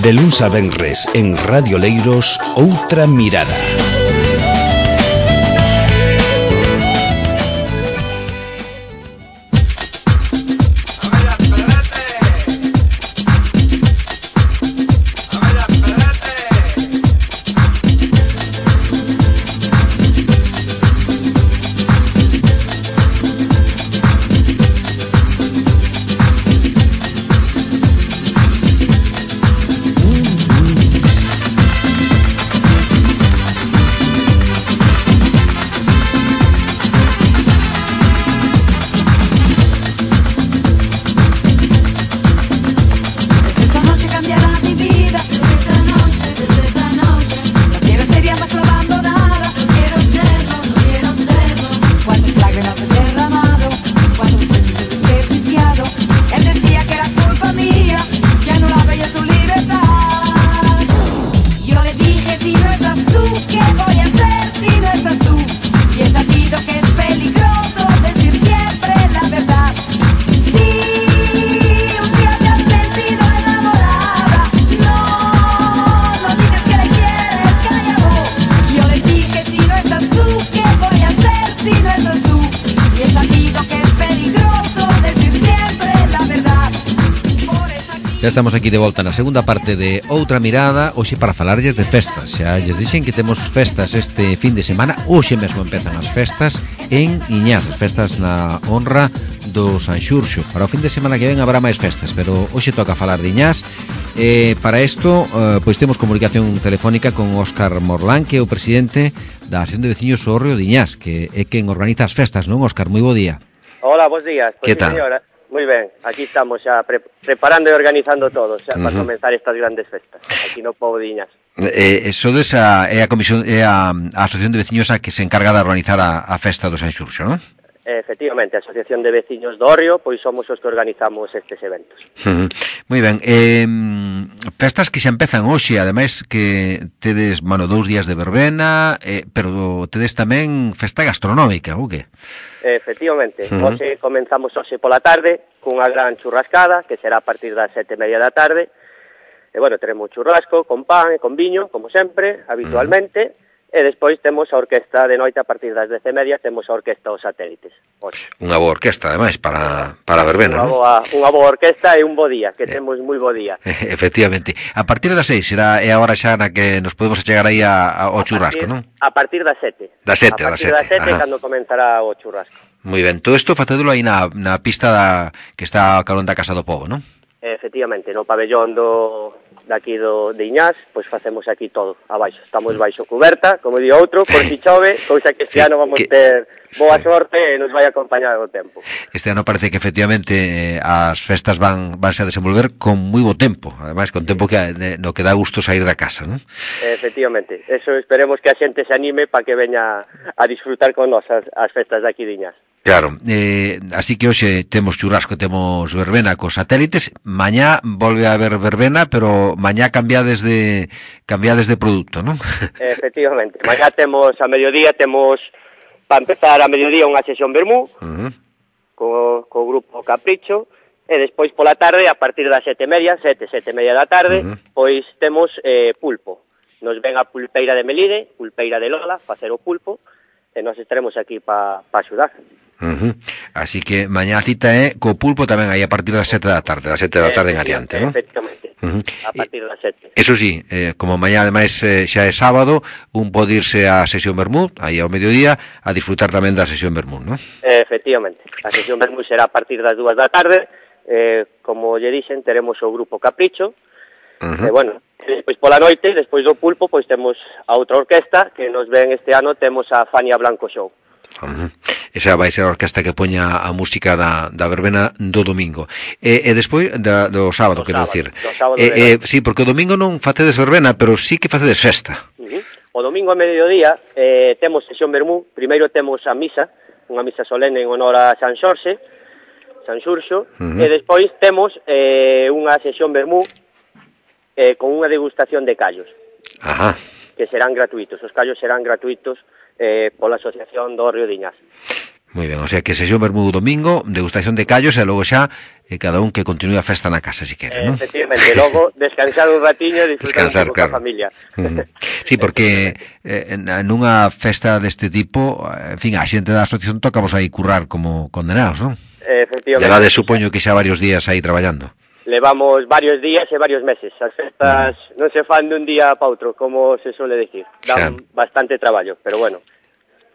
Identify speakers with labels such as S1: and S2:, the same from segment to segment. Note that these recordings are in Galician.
S1: De luns a venres en Radio Leiros, Outra Mirada.
S2: Ya estamos aquí de volta na segunda parte de Outra Mirada, hoxe para falarlles de festas. Xa lles dixen que temos festas este fin de semana, hoxe mesmo empezan as festas en Iñás, as festas na honra do San Xurxo. Para o fin de semana que ven habrá máis festas, pero hoxe toca falar de Iñás. Para isto, pois temos comunicación telefónica con Óscar Morlán, que é o presidente da Asociación de Veciños do Hórreo de Iñás, que é quen organiza as festas, non, Óscar? Moi bo día.
S3: Hola, bons días.
S2: Que tal?
S3: Señora, moi ben, aquí estamos xa preparando e organizando todo xa para comenzar estas grandes festas aquí no pobo de Iñás.
S2: Sodes é a comisión, é a Asociación de Veciños a que se encarga de organizar a festa do San Xurxo, non?
S3: Efectivamente, a Asociación de Veciños do Hórreo, pois somos os que organizamos estes eventos.
S2: Moi ben, festas que xa empezan hoxe, ademais que tedes, 2 días de verbena, pero tedes tamén festa gastronómica, ou que?
S3: Efectivamente, hoxe comenzamos hoxe pola tarde cunha gran churrascada, que será a partir das 7:30 da tarde. E, bueno, teremos churrasco con pan e con viño, como sempre, habitualmente, e despois temos a orquesta de noite a partir das 10:30, temos a orquesta Os Satélites. Hoxe.
S2: Unha boa orquesta, ademais, para a verbena, non?
S3: Unha boa orquesta e un bo día, que temos moi bo día.
S2: Efectivamente. A partir das 6 será a hora xa na que nos podemos chegar aí ao churrasco, non?
S3: A partir das 7.
S2: Das 7,
S3: a partir das 7 cando comenzará o churrasco.
S2: Moi ben, todo isto facédolo aí na pista que está a carón da Casa do Pobo, non?
S3: Efectivamente, no pabellón daqui de Iñás, pois facemos aquí todo, abaixo. Estamos baixo cuberta, como di outro, por si chove, cousa que este ano vamos ter boa sorte e nos vai acompañar o tempo.
S2: Este ano parece que efectivamente as festas vanse a desenvolver con moi bo tempo, ademais con tempo no que dá gusto sair da casa, non?
S3: Efectivamente, eso esperemos que a xente se anime para que veña a disfrutar con nós as festas de aquí de Iñás.
S2: Claro, así que hoxe temos churrasco, temos verbena cos satélites, mañá volve a haber verbena, pero mañá cambiades de produto, non?
S3: Efectivamente, mañá temos a mediodía, para empezar a mediodía unha sesión vermú, co grupo Capricho, e despois pola tarde, a partir das 7:30, 7:30 da tarde, pois temos pulpo. Nos ven a pulpeira de Melide, pulpeira de Lola, facer o pulpo, e nós estaremos aquí para axudar.
S2: Así que mañá a cita é co pulpo tamén aí a partir das 7 da tarde, das 7 da tarde en adiante, non?
S3: Efectivamente, a partir das 7.
S2: Eso sí, como mañá ademais xa é sábado, un pode irse á sesión vermú, aí ao mediodía, a disfrutar tamén da sesión vermú, non?
S3: Efectivamente, a sesión vermú será a partir das 2 da tarde, como lle dixen, teremos o grupo Capricho, e bueno, despois pola noite, despois do pulpo, pois temos a outra orquesta, que nos ven este ano, temos a Fania Blanco Show.
S2: Esa vai ser a orquesta que poña a música da verbena do domingo e despois do sábado, quero dicir. Sí, porque o domingo non facedes verbena, pero sí que facedes festa.
S3: O domingo a mediodía temos sesión vermú. Primeiro temos a misa, unha misa solene en honor a San Xurxo, e despois temos unha sesión vermú con unha degustación de callos, que serán gratuitos. Os callos serán gratuitos pola Asociación do Hórreo de Iñás.
S2: Moi ben, o sea que sesión vermú domingo, degustación de callos e logo xa cada un que continúe a festa na casa, si quere, non?
S3: Efectivamente, logo descansar un ratiño e disfrutar un pouco coa familia.
S2: Sí, porque nunha festa deste tipo, en fin, a xente da asociación toca vos aí currar como condenados, non?
S3: Efectivamente.
S2: Levades, supoño que xa varios días aí traballando.
S3: Levamos varios días e varios meses. As festas non se fan dun día para outro, como se suele decir. Dan bastante traballo, pero bueno,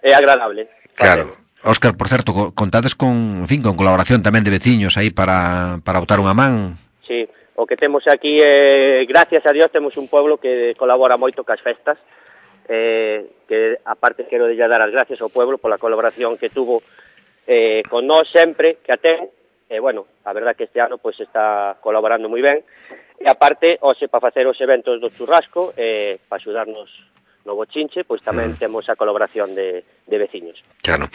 S3: é agradable.
S2: Claro. Óscar, por certo, contades con, en fin, con colaboración tamén de veciños aí para botar unha man?
S3: Sí, o que temos aquí, gracias a Dios, temos un pueblo que colabora moito cas festas, que aparte quero de dar as gracias ao pueblo pola colaboración que tuvo con nós sempre, que a ten, bueno, a verdad que este ano pues está colaborando moi ben, e aparte, hoxe, para facer os eventos do churrasco, para axudarnos no bochinche, pois tamén temos a colaboración de veciños.
S2: Claro.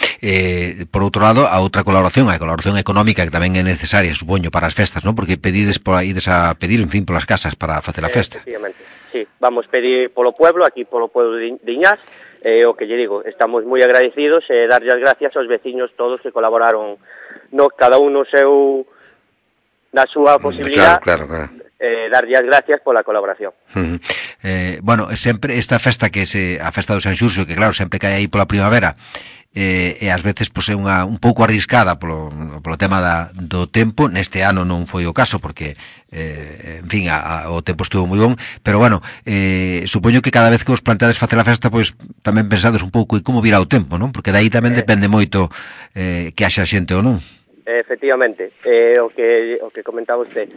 S2: Por outro lado, a outra colaboración, a colaboración económica, que tamén é necesaria, supoño, para as festas, non? Porque pedides por aí a pedir, en fin, polas casas para facer a festa.
S3: Efectivamente, sí. Vamos pedir polo pueblo, aquí polo pueblo de Iñás, o que lle digo, estamos moi agradecidos e darlle as gracias aos veciños todos que colaboraron, cada un no seu, na súa posibilidad.
S2: Claro.
S3: Darlle as gracias pola colaboración.
S2: Bueno, sempre esta festa que a festa do San Xurxo, que claro, sempre cae aí pola primavera, e ás veces pois é un pouco arriscada polo tema do tempo. Neste ano non foi o caso porque en fin, o tempo estuvo moi bon, pero bueno, supoño que cada vez que vos planteades facer a festa, pois tamén pensades un pouco en como virá o tempo, non? Porque daí tamén depende moito que haxa xente ou non.
S3: Efectivamente, o que comentaba usted.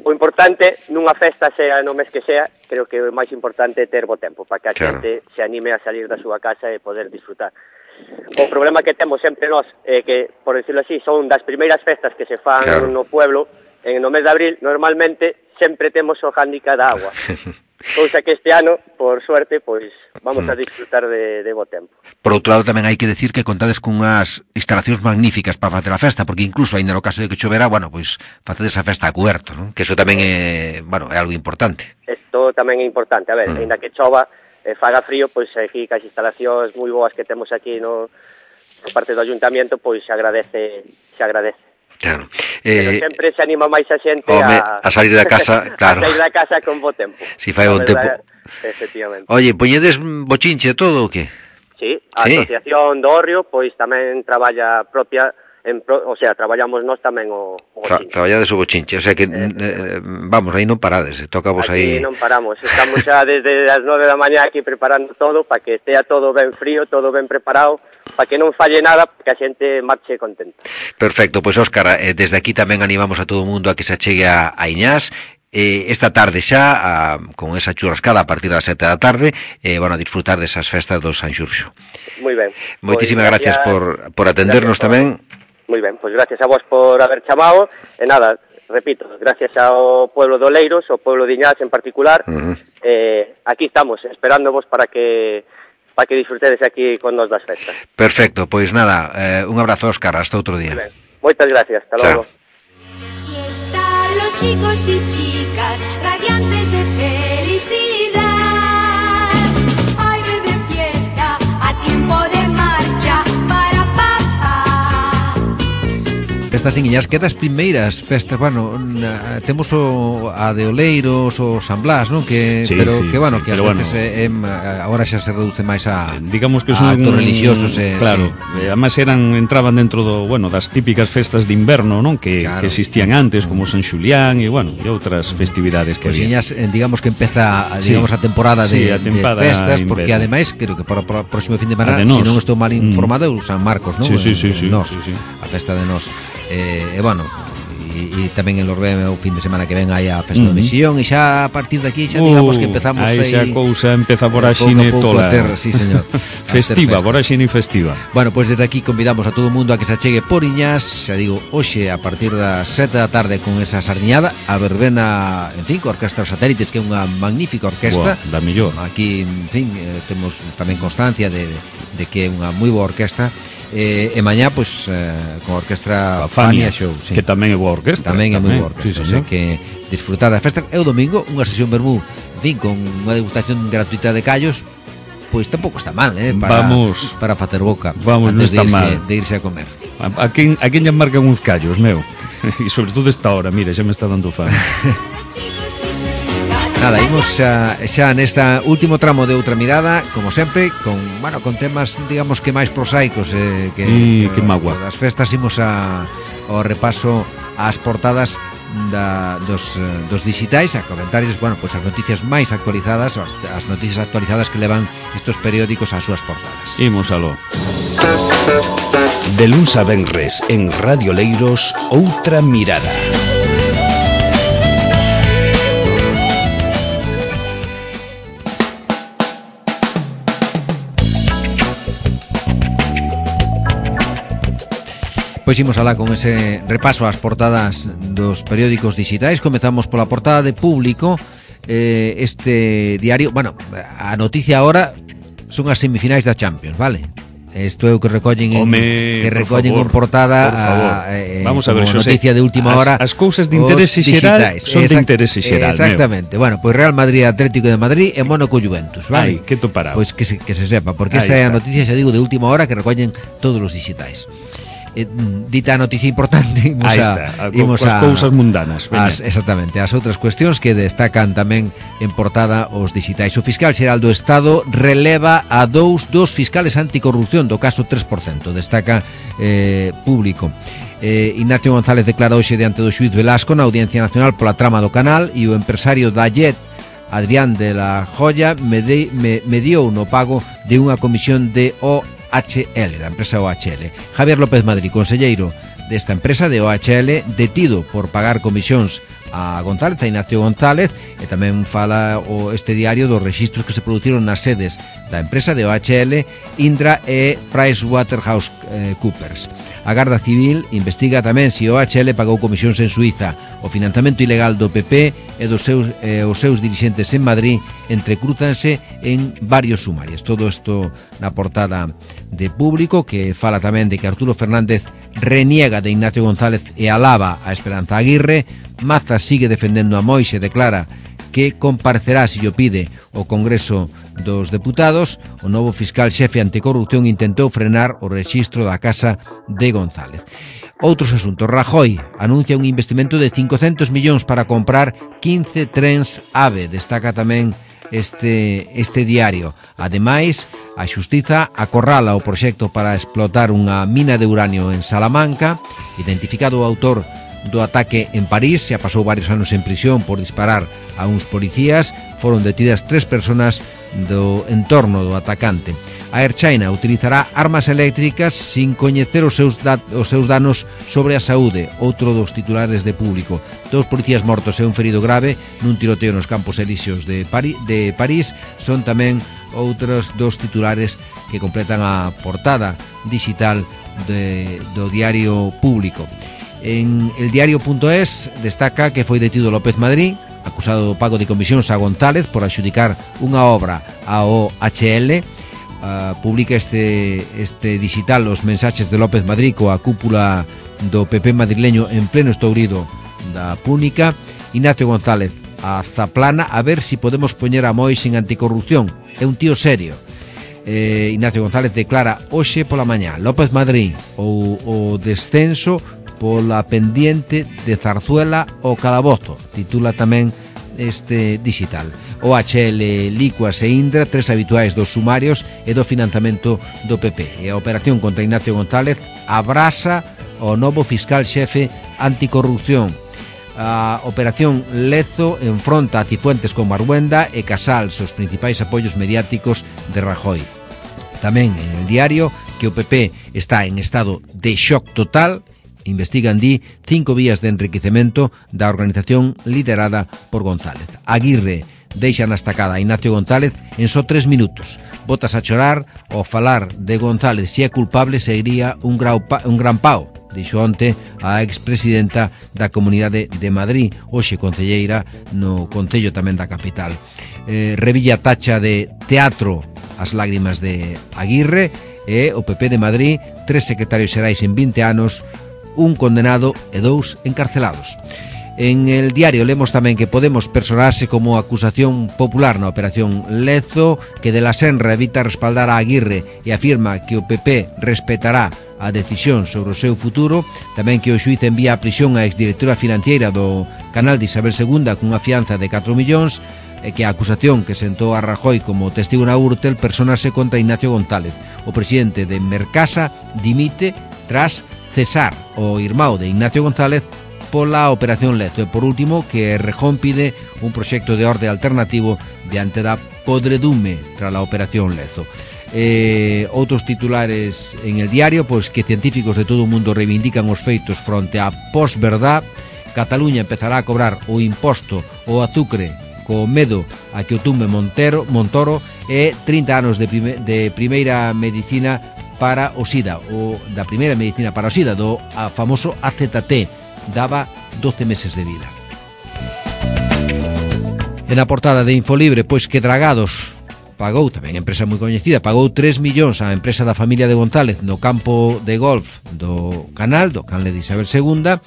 S3: O importante nunha festa, sea no mes que sea, creo que o máis importante é ter bo tempo, para que a xente se anime a salir da súa casa e poder disfrutar. O problema que temos sempre nós é que, por decirlo así, son das primeiras festas que se fan no pueblo, no mes de abril, normalmente sempre temos o hándicap da agua. Cousa que este ano, por suerte, pois vamos a disfrutar de bo tempo.
S2: Por outro lado, tamén hai que decir que contades con unhas instalacións magníficas para facer a festa, porque incluso, ainda no caso de que chovera, bueno, pois facedes a festa a cuberto, non? Que eso tamén é, bueno, é algo importante.
S3: Isto tamén é importante, a ver, ainda que chova, faga frío, pois aquí cas instalacións moi boas que temos aquí no parte do ayuntamiento, pois se agradece.
S2: Claro.
S3: Pero sempre se anima máis a xente
S2: a salir da casa, claro.
S3: A salir da casa con bo tempo.
S2: Si fai bon tempo.
S3: Efectivamente.
S2: Oye, poñedes bochinche todo ou que?
S3: Sí, a Asociación do Orrio, pois tamén traballa propia, o sea, traballamos nós tamén o bochinche.
S2: Traballades o bochinche, o sea que, vamos, aí non parades, toca vos aí...
S3: Aquí non paramos, estamos xa desde as 9 da mañá aquí preparando todo, para que estea todo ben frío, todo ben preparado, para que non falle nada, para que a xente marche contenta.
S2: Perfecto, pois Óscar, desde aquí tamén animamos a todo o mundo a que se achegue a Iñás. Esta tarde xa, con esa churrascada a partir das 7 da tarde, van a disfrutar desas festas do San Xurxo.
S3: Moi ben.
S2: Moitísimas gracias por atendernos tamén.
S3: Moi ben, pois gracias a vos por haber chamado, e nada, repito, gracias ao pueblo de Oleiros, ao pueblo de Iñás en particular, aquí estamos, esperándovos para que disfrutedes aquí con nos das festas.
S2: Perfecto, pois nada, un abrazo, Óscar, hasta outro día.
S3: Moitas gracias, hasta logo.
S4: Los chicos y chicas radiantes de felicidad, aire de fiesta, a tiempo de marcha para papá.
S2: Festas en Iñás, que das primeiras festas, bueno, temos a de Oleiros, o San Blas, non? Que, sí, pero sí, que, bueno, sí, que as veces agora xa se reduce máis a
S5: digamos que son
S2: actos religiosos.
S5: Claro, sí. Además entraban dentro das típicas festas de inverno, non? Que existían antes, como San Xulián e, bueno, e outras festividades que había.
S2: Iñás, digamos que empeza, digamos, a temporada de festas, porque ademais, creo que para o próximo fin de semana, se non estou mal informado, é o San Marcos, non?
S5: Sí.
S2: A festa de Nos. E bueno, e tamén en Lorbeme o fin de semana que ven aí a festa do Misión, e xa a partir de aquí xa digamos que empezamos aí
S5: xa cousa empeza por a xine tola.
S2: Sí, señor.
S5: Festiva, por a xine festiva.
S2: Bueno, pois desde aquí convidamos a todo o mundo a que se achegue por Iñás, xa digo, hoxe a partir das 7 da tarde con esa sardiñada, a verbena, en fin, co Orquestra Os Satélites, que é unha magnífica orquestra.
S5: Da mellor.
S2: Aquí, en fin, temos tamén constancia de que é unha moi boa orquestra. E mañá, pois, con a Orquestra Fania Show, sí.
S5: Que tamén é boa orquestra.
S2: Tamén é moi boa orquestra, sí, que disfrutar da festa. E o domingo, unha sesión vermú, en fin, con unha degustación gratuita de callos, pois tampouco está mal, para facer boca
S5: antes
S2: de irse a comer.
S5: A quen lle marcan uns callos, meu? E sobre todo esta hora, mira, xa me está dando fame.
S2: Nada, imos xa nesta último tramo de Outra Mirada, como sempre, con temas, digamos que máis prosaicos,
S5: que magua.
S2: Das festas imos ao repaso ás portadas dos digitais, a comentarios, pois as noticias máis actualizadas, as noticias actualizadas que levan estos periódicos ás súas portadas.
S5: Imos aló.
S1: De luns a venres en Radio Leiros, Outra Mirada.
S2: Pois imos alá con ese repaso ás portadas dos periódicos digitais. Comezamos pola portada de Público. Este diario, a noticia agora son as semifinais da Champions, vale? Isto é o que recollen en portada.
S5: Vamos a ver,
S2: noticia de última hora.
S5: As cousas de interese xeral son de interese xeral.
S2: Exactamente. Pois Real Madrid, Atlético de Madrid e Mónaco Juventus, vale?
S5: Ai, que topará.
S2: Pois que se sepa, porque esa é a noticia, xa digo, de última hora que recollen todos os digitais. Dita a noticia importante,
S5: imos a cousas mundanas,
S2: exactamente, as outras cuestións que destacan tamén en portada os digitais. O fiscal xeral do Estado releva a dos fiscales anticorrupción do caso 3%, destaca Público. Ignacio González declara hoxe diante do xuíz Velasco na Audiencia Nacional pola trama do canal, e o empresario da Jet, Adrián de la Joya, mediou no pago de unha comisión de OHL, da empresa OHL. Javier López Madrid, conselleiro desta empresa de OHL, detido por pagar comisións a González, a Ignacio González, e tamén fala este diario dos rexistros que se produciron nas sedes da empresa de OHL, Indra e PricewaterhouseCoopers. A Garda Civil investiga tamén se OHL pagou comisións en Suiza. O financiamento ilegal do PP e os seus dirixentes en Madrid entrecrúzanse en varios sumarios. Todo isto na portada de Público, que fala tamén de que Arturo Fernández reniega de Ignacio González e alaba a Esperanza Aguirre. Mazas sigue defendendo a Moixe, declara que comparecerá se o pide o Congreso dos Deputados. O novo fiscal xefe anticorrupción intentou frenar o rexistro da casa de González. Outros asuntos. Rajoy anuncia un investimento de 500 millóns para comprar 15 trens AVE. Destaca tamén este diario. Ademais, a Xustiza acorrala o proxecto para explotar unha mina de uranio en Salamanca. Identificado o autor do ataque en París, xa pasou varios anos en prisión por disparar a uns policías. Foron detidas 3 persoas do entorno do atacante. A Air China utilizará armas eléctricas sin coñecer os seus danos sobre a saúde. Outro dos titulares de Público. 2 policías mortos e un ferido grave nun tiroteo nos Campos Elíseos de París. Son tamén outros 2 titulares que completan a portada digital do diario Público. En el diario.es destaca que foi detido López Madrid, acusado do pago de comisións a González por adxudicar unha obra ao OHL. Publica este digital os mensaxes de López Madrid coa cúpula do PP madrileño en pleno estourido da Púnica. Ignacio González a Zaplana a ver si podemos poñer a Mois en anticorrupción. É un tío serio. Ignacio González declara hoxe pola mañá López Madrid o descenso pola pendiente de Zarzuela o Calabozo, titula tamén este digital. OHL, Licuas e Indra, 3 habituais dos sumarios e do financiamento do PP. E a operación contra Ignacio González abrasa o novo fiscal xefe anticorrupción. A operación Lezo enfronta a Cifuentes con Marhuenda e Casals, os principais apoios mediáticos de Rajoy. Tamén en el diario que o PP está en estado de shock total. Investigan 5 vías de enriquecemento da organización liderada por González. Aguirre deixa na estacada a Ignacio González en só 3 minutos. Botas a chorar ao falar de González se é culpable sería un gran pao, dixo onte a expresidenta da Comunidade de Madrid, hoxe concelleira no Concello tamén da capital. Revilla tacha de teatro as lágrimas de Aguirre e o PP de Madrid, 3 secretarios xerais en 20 anos, un condenado e 2 encarcelados. En el diario lemos tamén que Podemos personarse como acusación popular na operación Lezo, que de la Senra evita respaldar a Aguirre e afirma que o PP respetará a decisión sobre o seu futuro. Tamén que o xuíz envía a prisión a exdirectora financiera do canal de Isabel II cunha fianza de 4 millóns, e que a acusación que sentou a Rajoy como testigo na Gürtel personase contra Ignacio González. O presidente de Mercasa dimite tras cesar o irmão de Ignacio González pola operación Lezo. E por último, que Errejón pide un proxecto de orde alternativo diante da podredume tras a operación Lezo. Outros titulares en el diario, pois que científicos de todo o mundo reivindican os feitos fronte á posverdad. Cataluña empezará a cobrar o imposto ao azucre co medo a que o tumbe Montoro, e 30 anos de primeira medicina para o SIDA, o da primeira medicina para o SIDA, do famoso AZT, daba 12 meses de vida. En a portada de Infolibre, pois que Dragados pagou, tamén empresa moi coñecida, pagou 3 millóns á empresa da familia de González no campo de golf do canal de Isabel II.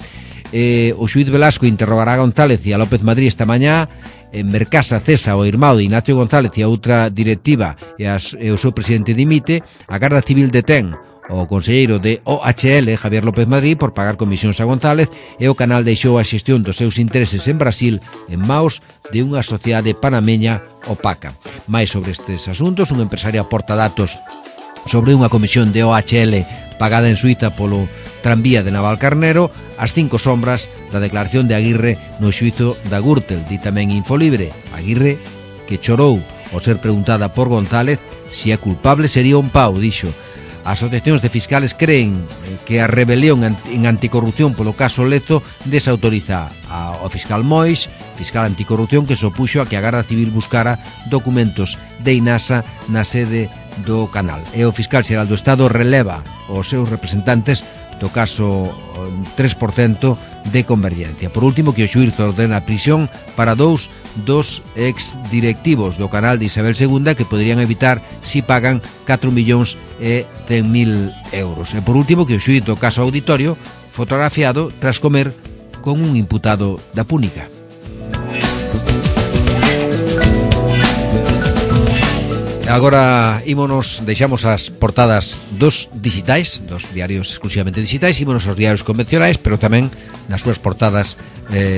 S2: O xuíz Velasco interrogará a González e a López Madrid esta mañá. En Mercasa cesa o irmão de Ignacio González e a outra directiva e o seu presidente dimite. A Garda Civil detén o conselleiro de OHL, Javier López Madrid, por pagar comisións a González, e o canal deixou a xestión dos seus intereses en Brasil en maos de unha sociedade panameña opaca. Mais sobre estes asuntos, un empresario aporta datos sobre unha comisión de OHL pagada en Suiza polo tranvía de Navalcarnero, as 5 sombras da declaración de Aguirre no xuízo da Gürtel. Di tamén Infolibre, Aguirre, que chorou ao ser preguntada por González se é culpable sería un pau, dixo. As asociacións de fiscales creen que a rebelión en anticorrupción polo caso Lezo desautoriza ao fiscal Mois, fiscal anticorrupción que se opuxo a que a Garda Civil buscara documentos de INASA na sede do canal. E o fiscal xeral do Estado releva os seus representantes do caso 3% de Convergencia. Por último, que o xuíz ordena a prisión para dos exdirectivos do canal de Isabel II que poderían evitar si pagan 4 millóns e 100.000 euros. E por último, que o xuíz do caso Auditorio fotografiado tras comer con un imputado da Púnica. Agora deixamos as portadas dos digitais, dos diarios exclusivamente digitais, ímonos aos diarios convencionais, pero tamén nas súas portadas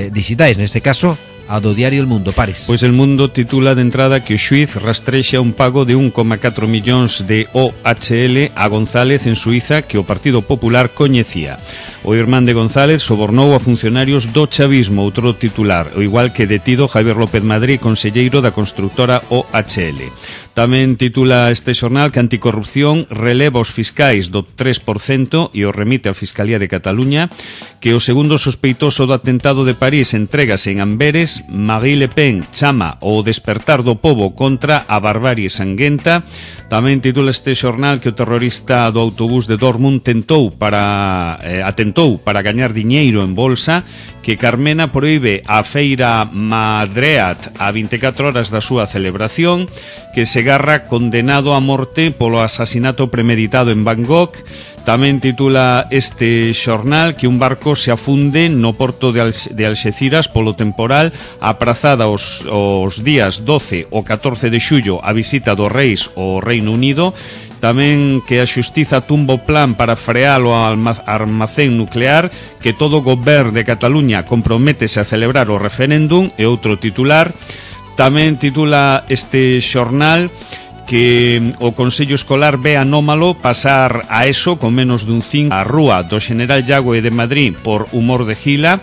S2: digitais, neste caso a do diario El Mundo. Pares.
S5: Pois El Mundo titula de entrada que o xuíz rastrexa un pago de 1,4 millóns de OHL a González en Suiza que o Partido Popular coñecía. O irmán de González sobornou a funcionarios do chavismo, outro titular, o igual que detido Javier López Madrid, conselleiro da constructora OHL. Tamén titula este xornal que Anticorrupción releva os fiscais do 3% e o remite á Fiscalía de Cataluña, que o segundo sospeitoso do atentado de París entrégase en Amberes. Marine Le Pen chama o despertar do pobo contra a barbarie sanguenta. Tamén titula este xornal que o terrorista do autobús de Dortmund atentou para gañar diñeiro en bolsa, que Carmena proíbe a feira Madreat a 24 horas da súa celebración, que Segarra condenado a morte polo asasinato premeditado en Bangkok. Tamén titula este xornal que un barco se afunde no porto de Alxeciras polo temporal, aprazada os días 12 ou 14 de xullo a visita dos reis ao Reino Unido. Tamén que a xustiza tumba o plan para frear o armazén nuclear, que todo o goberno de Cataluña comprométese a celebrar o referéndum, e outro titular. Tamén titula este xornal que o Consello Escolar ve anómalo pasar a ESO con menos dun 5 a rúa do General Yagüe de Madrid por humor de gila.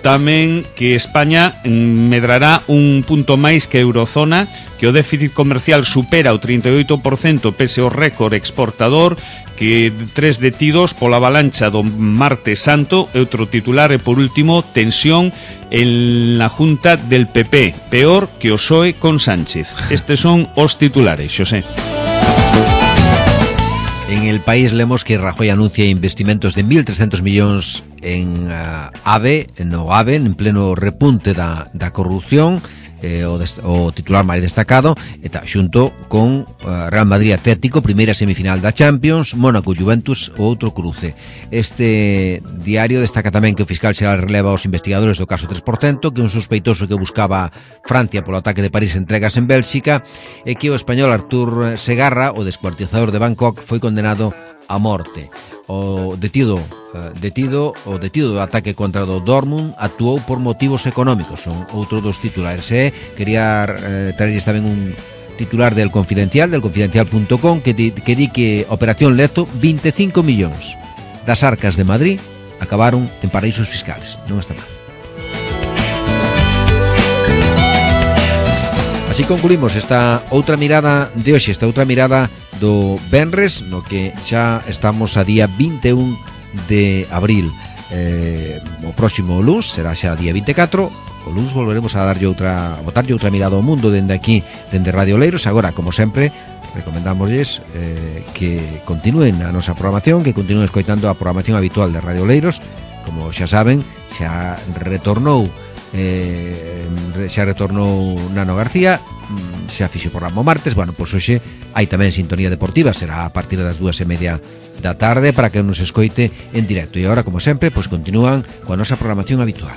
S5: Tamén que España medrará un punto máis que a Eurozona, que o déficit comercial supera o 38% pese ao récord exportador, que 3 detidos pola avalancha do Martes Santo, e outro titular. E por último, tensión en la Junta del PP, peor que o PSOE con Sánchez. Estes son os titulares, Xosé.
S2: En El País lemos que Rajoy anuncia investimentos de 1.300 millóns en AVE, en pleno repunte da corrupción. o titular máis destacado, e xunto con Real Madrid Atlético, primeira semifinal da Champions, Mónaco Juventus, o outro cruce. Este diario destaca tamén que o fiscal xeral releva aos investigadores do caso 3%, que un sospeitoso que buscaba Francia polo ataque de París entregas en Bélxica, e que o español Artur Segarra, o descuartizador de Bangkok, foi condenado a morte. O detido do ataque contra o Dortmund actuou por motivos económicos, son outro dos titulares. Quería traerles tamén un titular del Confidencial.com que di que Operación Lezo, 25 millóns das arcas de Madrid acabaron en paraísos fiscales. Non está mal. Así concluímos esta outra mirada de hoxe, esta outra mirada do venres, no que xa estamos a día 21 de abril. O próximo luns será xa día 24. O luns volveremos a botarlle outra mirada ao mundo dende aquí, dende Radio Oleiros. Agora, como sempre, recomendámosles que continúen a nosa programación, que continúen escoitando a programación habitual de Radio Oleiros. Como xa saben, xa retornou Nano García, xa fixo programa o martes. Bueno, pois hoxe hai tamén sintonía deportiva, será a partir das 2:30 da tarde para que nos escoite en directo. E agora, como sempre, pois continúan coa nosa programación habitual.